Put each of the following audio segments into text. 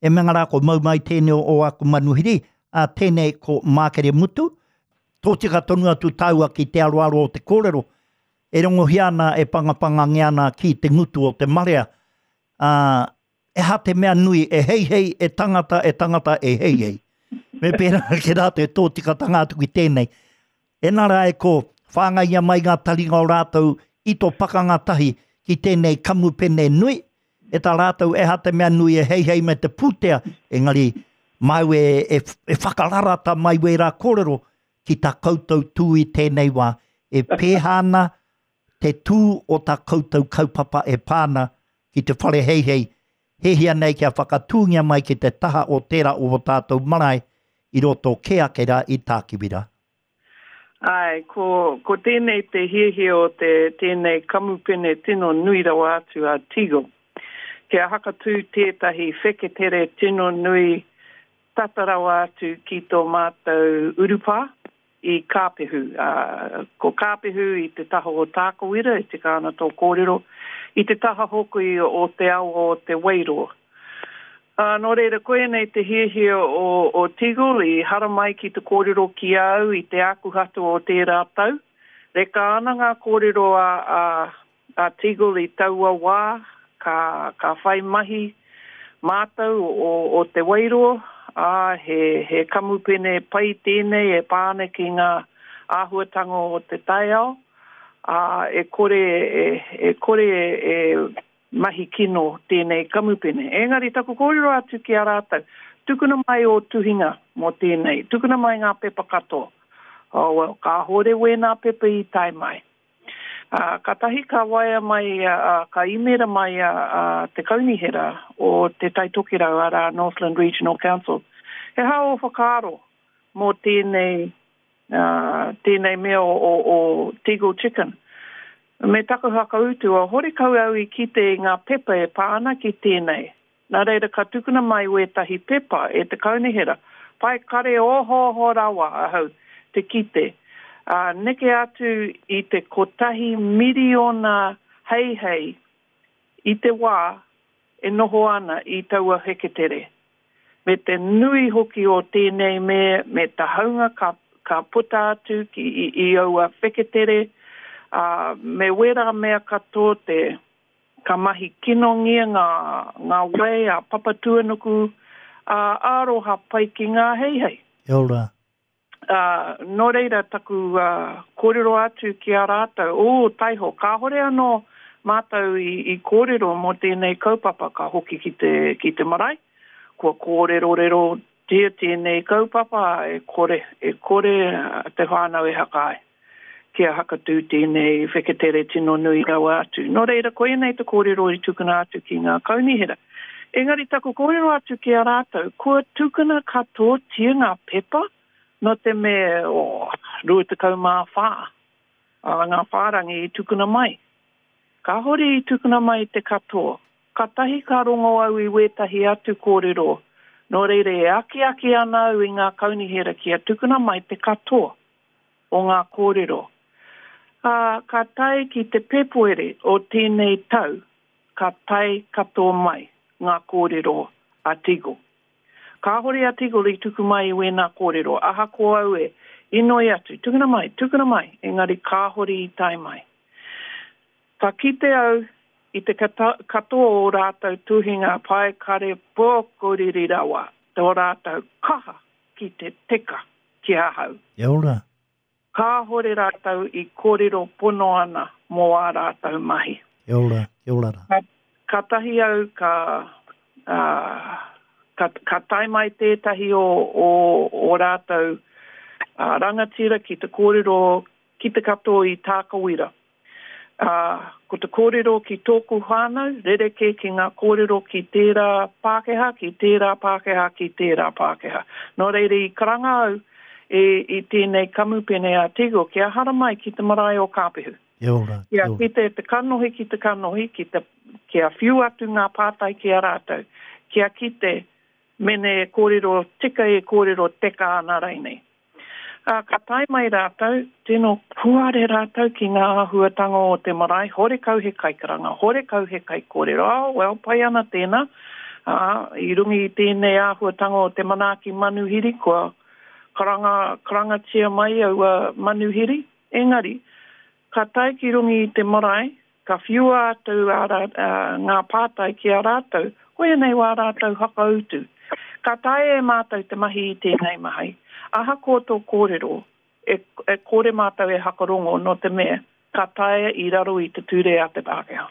E mea rā ko mau mai tēnei o aku manuhiri, ā, tēnei ko Mākere Mutu. Tōtika tonu atu tāua ki te aroaro o te kōrero, e rongohia ana, e pangapangangia ana ki te ngutu o te marea. Ā, e aha te mea nui e heihei, e tangata, e tangata, e heihei. Me pērā ake rā te tōtikatanga atu ki tēnei. Ena rā e ko, whāngaia mai ngā taringa o rātou i tō pakanga tahi ki tēnei kamupene nui, e tā rātou e aha te mea nui e heihei me te pūtea, engari māu e, e, e whakararata mai wērā kōrero ki tā koutou tū i tēnei wā, e pēhā ana te tū o tā koutou kaupapa e pā ana ki te whare heihei, hehia nei kia whakatūngia mai ki te taha o tērā o ō tātou marae i roto kē ake rā i Tākiwira. Āe, ko, ko tēnei te hiahia o te, tēnei kamupene tino nui rawa atu a Teagle. Kia hakatū tētahi wheketere tino nui tata rawa atu ki tō mātou urupā i Kāpehu. Ā, ko Kāpehu i te taha o Tākawira, e tika ana tō kōrero, i te taha hoki o te awa o Te Wairoa. Ā, nō reira, koianei te hiahia o, o Teagle i haramai ki te kōrero ki a au i te Ākuhata o tērā tau. Reka ana ngā kōrero a, a, a Teagle i taua wā, ka, ka whai mahi mātou o, o Te Wairoa, ā, he, he kamupene pai tēnei e pā ana ki ngā āhuatanga o te taiao, ā, e kore e, e kore e mahi kino tēnei kamupene. Engari taku kōrero atu ki a rātou, tukuna mai ō tuhinga mō tēnei, tukuna mai ngā pepa katoa. Oh, well, kāhore wēnā pepa i tae mai. Ā, kātahi ka waea mai, ā, ka īmēra mai a, a te kaunihera o Te Tai Tokerau, arā, Northland Regional Council, He aha ō whakaaro mō tēnei, ā, tēnei mea o, o, o Teagle Chicken? Me taku whakautu, oh, horekau au i kite i ngā pepa e pā ana ki tēnei. Nā reira ka tukuna mai wētahi pepa e te kaunihera, pai kare ohooho rawa ahau te kite, ā, neke atu i te kotahi miriona heihei i te wā e noho ana i taua heketere. Me te nui hoki o tēnei me, me tahaunga ka, ka puta atu ki, i, i aua wheketere, ā, me wērā mea katoa te, Ka mahi kinongia ngā, ngā wai a Papatūānuku, ā, aroha pai ki ngā heihei. Kia ora. Ā, nō reira taku kōrero atu ki a rātou, ū, taiho, kāhore anō mātou i, i kōrero mō tēnei kaupapa ka hoki ki te, ki te marae, kua kōrerorerotia tēnei kaupapa, e kore, e kore te whānau e haka ai. Kia hakatū tēnei wheketere tino nui rawa atu. Nō reira, koianei te kōrero i tukuna atu ki ngā kaunihera. Engari taku kōrero atu ki a rātou, kua tukuna katoatia ngā pepa, nō te mea, oh, 24 ngā whārangi i tukuna mai. Kāhore i tukuna mai te katoa. Katahi ka rongo au i wētahi atu kōrero, nō reira e akiaki ana au i ngā kaunihera kia tukuna mai te katoa. o ngā kōrero. Ā, ka tae ki te Pēpuere o tēnei tau, ka tae katoa mai ngā kōrero a Teagle. Kāhore a Teagle i tuku mai i wēnā kōrero, ahakoa au e inoi atu, tukuna mai, tukuna mai, engari kāhore i tae mai. Ka kite au i te katoa o rātou tuhinga paekare pōkoriri rawa tō rātou kaha ki te teka ki ahau. Kia ora. Kāhore rātou i kōrero pono ana mō ā rātou mahi. Kia ora, kia ora rā. Ka, kātahi au ka, ā, ka, ka tae mai tētahi o, o, o rātou ā, rangatira ki te kōrero ki te katoa i Tākawira. Ā, ko te kōrero ki tōku whānau, rerekē ki ngā kōrero ki tērā Pākehā, ki tērā Pākehā, ki tērā Pākehā. Nō reira i karanga au e, i tēnei kamupene a Teagle kia haramai ki te marae o Kāpehu. Kia ora, kia ora. Kia kite te kanohi ki te kanohi, ki te, kia whiu atu ngā pātai ki a rātou, kia kite mene e kōrero tika e kōrero teka ana rainei. Ā, ka tae mai rātou, tino puare rātou ki ngā āhuatanga o te marae, horekau he kaikaranga, horekau he kaikōrero, oh, well, pai ana tēnā, Ā, i runga i tēnei āhuatanga o te manaaki manuhiri, kua karanga, karangatia mai aua manuhiri, engari, ka tae ki runga i te marae, ka whiua atu ā rā, ā, ngā pātai ki a rātou, koia nei wā rātou whakautu. Ka taea e mātou te mahi i tēnei mahi, ahakoa tō kōrero, e, e kore mātou e hakarongo nō te mea, ka taea i raro i te ture a te Pākehā.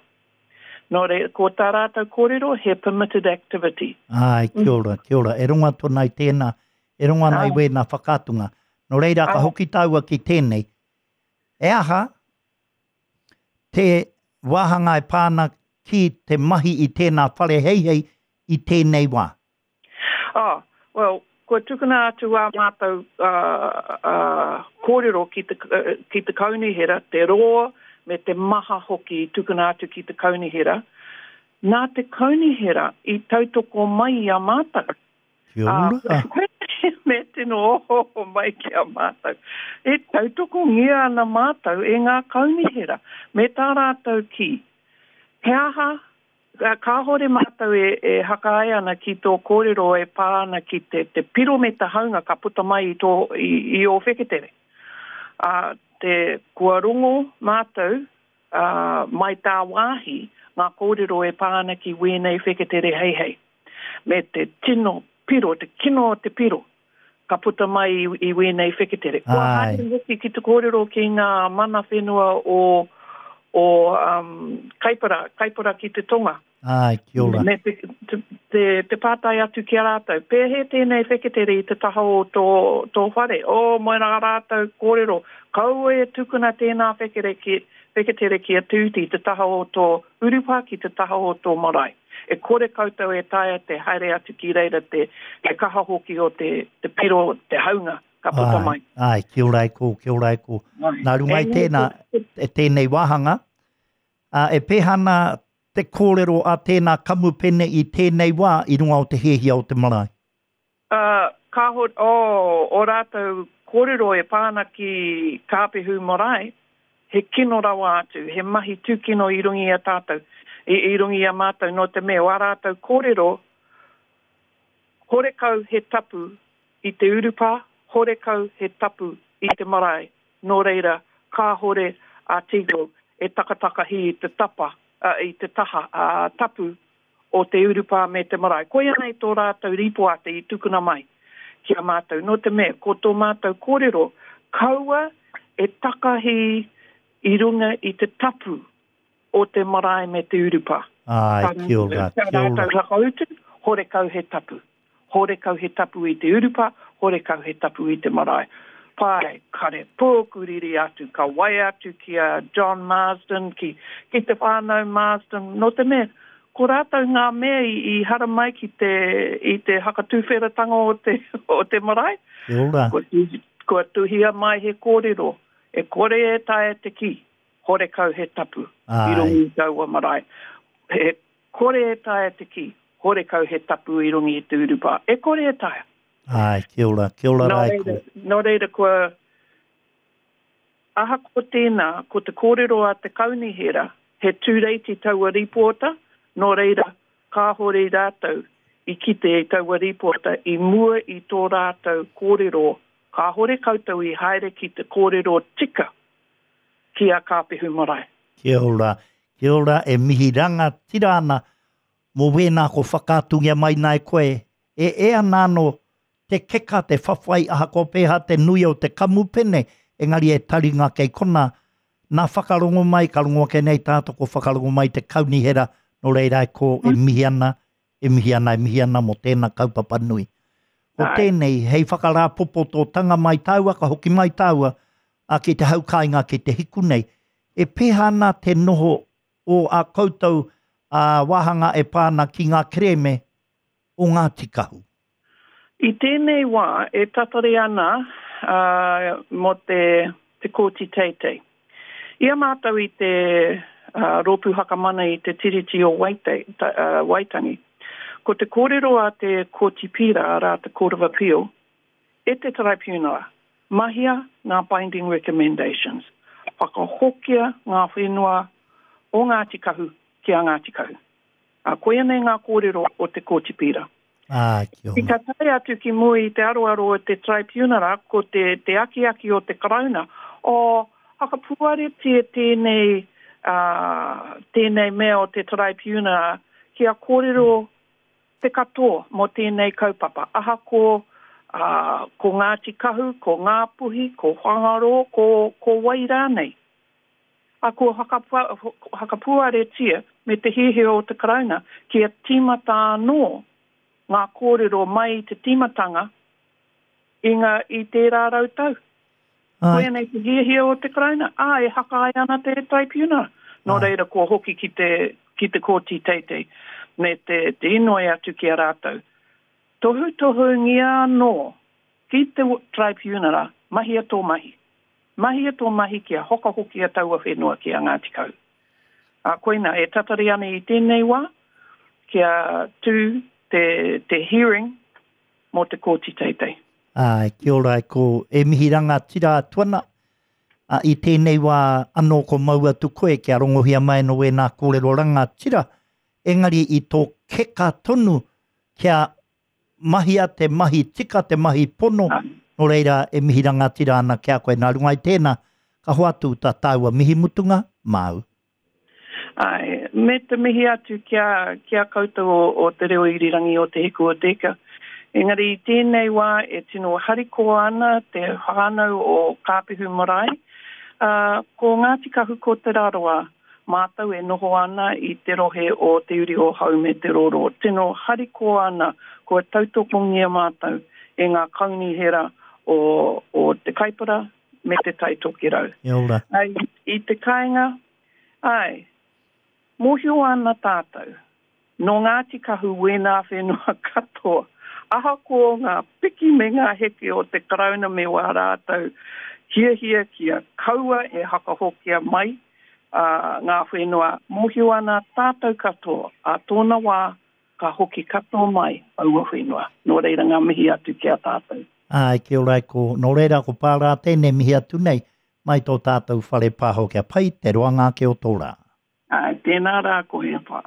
Nō reira, ko tā rātou kōrero, he permitted activity. Āe, kia ora, kia ora. E rongo atu ana i tēnā, e rongo ana i wēnā whakaatunga. Nō reira, ka hoki tāua ki tēnei. E aha te wāhanga e pā ana ki te mahi i tēnā whare heihei i tēnei wā? Oh, well, kua tukuna atu ā mātou kōrero ki te, ki te kaunihera, te roa me te maha hoki i tukuna atu ki te kaunihera. Nā te kaunihera i tautoko mai i a mātou. Kia ora. Me tino ohooho mai ki a mātou. E tautokongia ana mātou e ngā kaunihera me tā rātou kī, he aha Kāhore mātou e hakaae ana ki tō kōrero e pā ana ki te te piro me te haunga ka puta mai i tō, i ō wheketere. Ā, te, kua rongo mātou, ā, mai tāwāhi ngā kōrero e pā ana ki wēnei wheketere heihei. Me te tino piro, te kino o te piro ka puta mai i, i wēnei wheketere. Kua haere hoki ki te kōrero ki ngā mana whenua o, o um, Kaipara, Kaipara ki te tonga. Āe, kia ora. Me te, te, te, te pātai atu ki a rātou, pēhea tēnei wheketere i te taha o tō, tō whare? O, moe rā rātou kōrero, kaua e tukuna tēnā whekere ki, wheketere ki a Tūti i te taha o tō urupā, ki te taha o tō marae. E kore koutou e taea te haere atu ki reira te, te kaha hoki o te, te piro, te haunga ka puta mai. Āe, kia ora e kō, kia ora e kō. Nā runga i tēnā, e tēnei wāhanga, ā, e pēhea ana te kōrero a tēnā kamupene i tēnei wā i runga o te hiahia o te marae? Ā, kāhore, oh, ō rātou kōrero e pā ana ki Kāpehu Marae, he kino rawa atu, he mahi tūkino i runga i a tātou, i, i runga i a mātou, nō te mea, wā rātou kōrero, horekau he tapu i te urupā, horekau he tapu i te marae, nō reira, kāhore a Teagle e takatakahi i te tapa, ā, i te taha, ā, tapu o te urupā me te marae. Koia nei tō rātou rīpoata i tukuna mai ki a mātou, nō te mea, ko tō mātou kōrero, kaua e takahi i runga i te tapu o te marae me te urupā. Āe, kia ora, kia ora. Tā rātou whakautu, horekau he tapu. Horekau he tapu i te urupa, horekau he tapu i te marae. Pae, kare pōku riri atu, ka waea atu ki a John Marsden, ki, ki te whānau Marsden, nō te mea, ko rātou ngā mea i, i haramai ki te, i te hakatūwheratanga o te, o te marae. Kia ora. Kua, kua tuhia mai he kōrero, e kore e taea te kī, horekau he tapu i runga i taua marae. He Kore e taea te kī, horekau he tapu i runga i te urupā. E kore e taea. Āe, kia ora, kia ora rā e kō. Nō reira, kua, ahakoa tēnā, ko te kōrero a te kaunihera, he tūreiti taua rīpoata, nō reira, kāhore rātou i kite i taua rīpoata i mua i tō rātou kōrero, kāhore koutou i haere ki te kōrero tika ki a Kāpehu Marae. Kia ora, kia ora, e mihi rangatira ana mō wēnā ko whakaatungia mai nā e koe, e e ana anō te keka, te whawhai ahakoa pēhea te nui o te kamupene, engari e taringa kei kona, nā whakarongo mai, ka rongo ake nei tātou ko whakarongo mai te kaunihera, nō reira e kō e mihi ana, E mihi ana, e mihi ana mō tēnā kaupapa nui. Ko tēnei, hei whakarāpopototanga mai tāua, ka hoki mai tāua a ki te hau kāinga ki te hiku nei. E pēhea ana te noho o ā koutou wāhanga e pā ana ki ngā kerēme o Ngāti Kahu? I tēnei wā e tatari ana mō te Te Kōti Teitei. I a mātou i te Rōpū Whakamana i te Tiriti o Waitangi, ko te kōrero a te Kōti Pīra, arā te Court of Appeal, e te Taraipiunara, mahia ngā binding recommendations, whakahokia ngā whenua o Ngāti Kahu ki a Ngāti Kahu. Ā, koia nei ngā kōrero o te Kōti Pīra. Ā, kia ora. Ka tae atu ki mua i te aroaro o te Traipiunara, ko te, te akiaki o te Karauna, oh, hakapuaretia tēnei, ā, tēnei mea o te Taraipiunara kia kōrero te katoa mō tēnei kaupapa, ahako, ā, ko Ngāti Kahu, ko Ngāpuhi, ko Whangarō, ko, ko wai rānei. Ā, kua whakapuaretia me te hiahia o te Karauna kia tīmata anō ngā kōrero mai i te tīmatanga i ngā, i tērā rautau. Koia nei te hiahia o te Karauna, ā, e haka ai ana te Taraipiunara. Nō reira kua hoki ki te, ki te Kōti Teitei me te, te inoi atu ki a rātou. Tohutohungia anō ki te Taraipiunara, mahia tō mahi. Mahia tō mahi kia hokahokia taua whenua ki a Ngāti Kahu. Ā, koina, e tatari ana i tēnei wā kia tū te, te hearing mō te Kōti Teitei. Āe, kia ora e ko e mihi rangatira atu ana, ā, i tēnei wā anō ko mau atu koe kia rongohia mai anō ēnā kōrero rangatira, engari i tō keka tonu kia mahia te mahi tika, te mahi pono, nō reira e mihi rangatira ana ki a koe. Nā runga i tēnā, ka hoatu tā tāua mihi mutunga māu. Āe, me te mihi atu ki a, ki a koutou o, o Te Reo Irirangi o Te Hiku o Te Ika. Engari i tēnei wā e tino harikoa ana te whānau o Kāpehu Marae, ā, ko Ngāti Kahu ko Te Rarawa Mātou e noho ana i te rohe o Te Uri o Hau me Te Roro, tino harikoa ana kua tautokongia mātou e ngā kaunihera o, o Te Kaipara me Te Tai Tokerau. Kia ora. I, i te kāinga, āe, mōhio ana tātou, Nō Ngāti Kahu wēnā whenua katoa, ahakoa ngā piki me ngā heke o te Karauna me wā rātou hiahia kia kaua e hakahokia mai ngā whenua, mōhio ana tātou katoa ā tōna wā ka hoki katoa mai aua whenua. Nō reira ngā mihi atu ki a tātou. Āe, kia ora e ko, nō reira ko Pārā tēnei mihi atu nei mai tō tātou whare pāho kia pai te roanga ake o tō rā. Āe, tēnā rā koe e wha.